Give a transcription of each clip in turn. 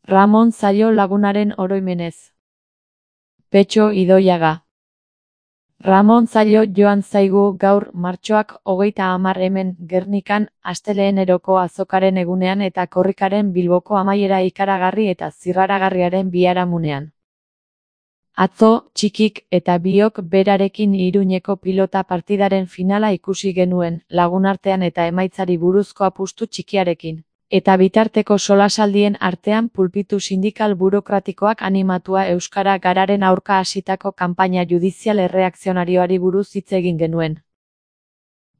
Ramon Zaio lagunaren oroimenez. Petxo Idoiaga. Ramon Zaio joan zaigu gaur martxoak 30 hemen Gernikan asteleheneroko azokaren egunean eta korrikaren Bilboko amaiera ikaragarri eta zirraragarriaren biharamunean. Atzo, txikik eta biok berarekin Iruñeko pilota partidaren finala ikusi genuen, lagunartean eta emaitzari buruzko apustu txikiarekin. Eta bitarteko solasaldien artean pulpitu sindikal burokratikoak animatua euskara gararen aurka hasitako kanpaina judizial erreakzionarioari buruz hitz egin genuen.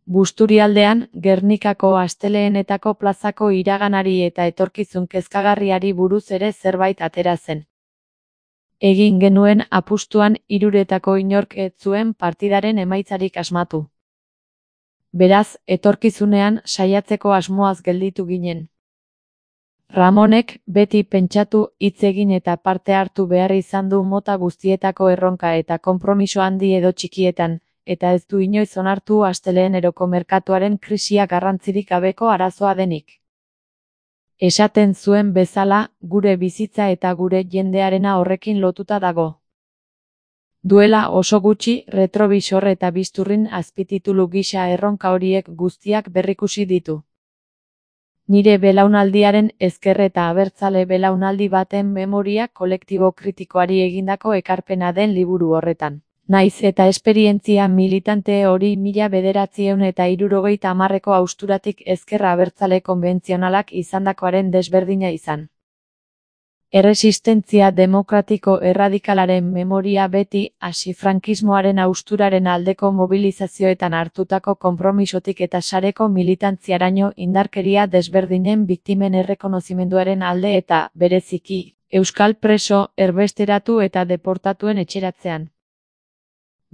Busturialdean, Gernikako asteleenetako plazako iraganari eta etorkizun kezkagarriari buruz ere zerbait atera zen. Egin genuen apustuan hiruretako inork ez zuen partidaren emaitzarik asmatu. Beraz, etorkizunean saiatzeko asmoaz gelditu ginen. Ramonek beti pentsatu, hitz egin eta parte hartu behar izan du mota guztietako erronka eta konpromiso handi edo txikietan, eta ez du inoiz onartu asteleheneroko merkatuaren krisia garrantzirik gabeko arazoa denik. Esaten zuen bezala, gure bizitza eta gure jendearena horrekin lotuta dago. Duela oso gutxi, retrobisor eta bizturrin azpititulu gisa erronka horiek guztiak berrikusi ditu. Nire belaunaldiaren ezker eta abertzale belaunaldi baten memoria kolektibo kritikoari egindako ekarpena den liburu horretan. Naiz eta esperientzia militante hori 1970ko hausturatik ezker abertzale konbentzionalak izandakoaren desberdina izan. Erresistentzia demokratiko erradikalaren memoria beti, hasi frankismoaren hausturaren aldeko mobilizazioetan hartutako konpromisotik eta sareko militantziaraino indarkeria desberdinen biktimen errekonozimenduaren alde eta, bereziki, euskal preso, erbesteratu eta deportatuen etxeratzean.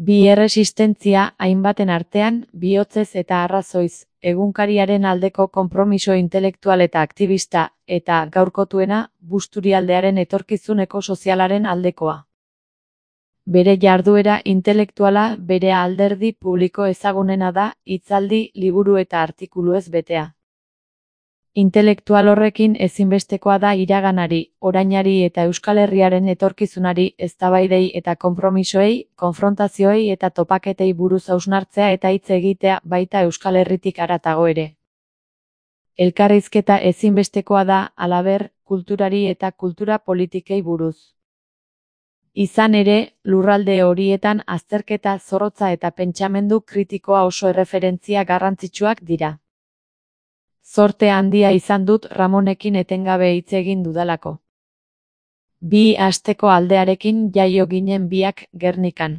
Bi erresistentzia hainbaten artean, bihotzez eta arrazoiz, egunkariaren aldeko konpromiso intelektual eta aktivista, eta gaurkotuena, Busturialdearen etorkizun ekosozialaren aldekoa. Bere jarduera intelektuala bere alderdi publiko ezagunena da, hitzaldi, liburu eta artikuluez betea. Intelektual horrekin ezinbestekoa da iraganari, orainari eta Euskal Herriaren etorkizunari, eztabaidei eta konpromisoei, konfrontazioei eta topaketei buruz hausnartzea eta hitz egitea baita Euskal Herritik haratago ere. Elkarrizketa ezinbestekoa da, halaber, kulturari eta kultura politikei buruz. Izan ere, lurralde horietan azterketa zorrotza eta pentsamendu kritikoa oso erreferentzia garrantzitsuak dira. Zorte handia izan dut Ramonekin etengabe hitz egin dudalako. Bi asteko aldearekin jaio ginen biak Gernikan.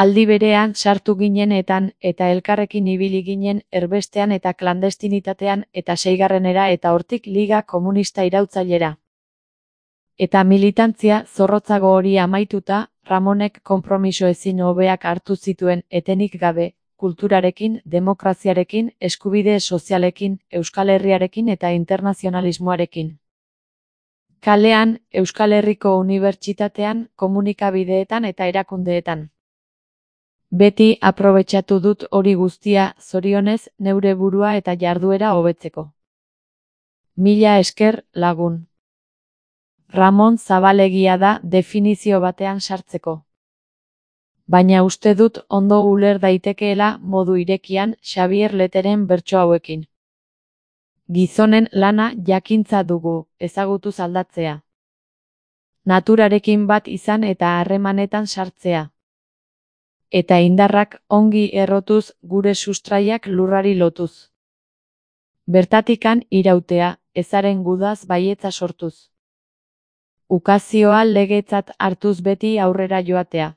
Aldi berean sartu ginenetan eta elkarrekin ibili ginen erbestean eta klandestinitatean eta seigarrenera eta hortik Liga Komunista irautzailera. Eta militantzia zorrotzago hori amaituta, Ramonek konpromiso ezin hobeak hartu zituen etenik gabe, kulturarekin, demokraziarekin, eskubide sozialekin, Euskal Herriarekin eta internazionalismoarekin. Kalean, Euskal Herriko Unibertsitatean, komunikabideetan eta erakundeetan. Beti aprobetxatu dut hori guztia, zorionez, neure burua eta jarduera hobetzeko. Mila esker, lagun. Ramon zabalegia da definizio batean sartzeko. Baina uste dut ondo uler daitekeela modu irekian Xabier Leteren bertso hauekin. Gizonen lana jakintza dugu, ezagutuz aldatzea. Naturarekin bat izan eta harremanetan sartzea. Eta indarrak ongi errotuz gure sustraiak lurrari lotuz. Bertatikan irautea, ezaren gudaz baietza sortuz. Ukazioa legetzat hartuz beti aurrera joatea.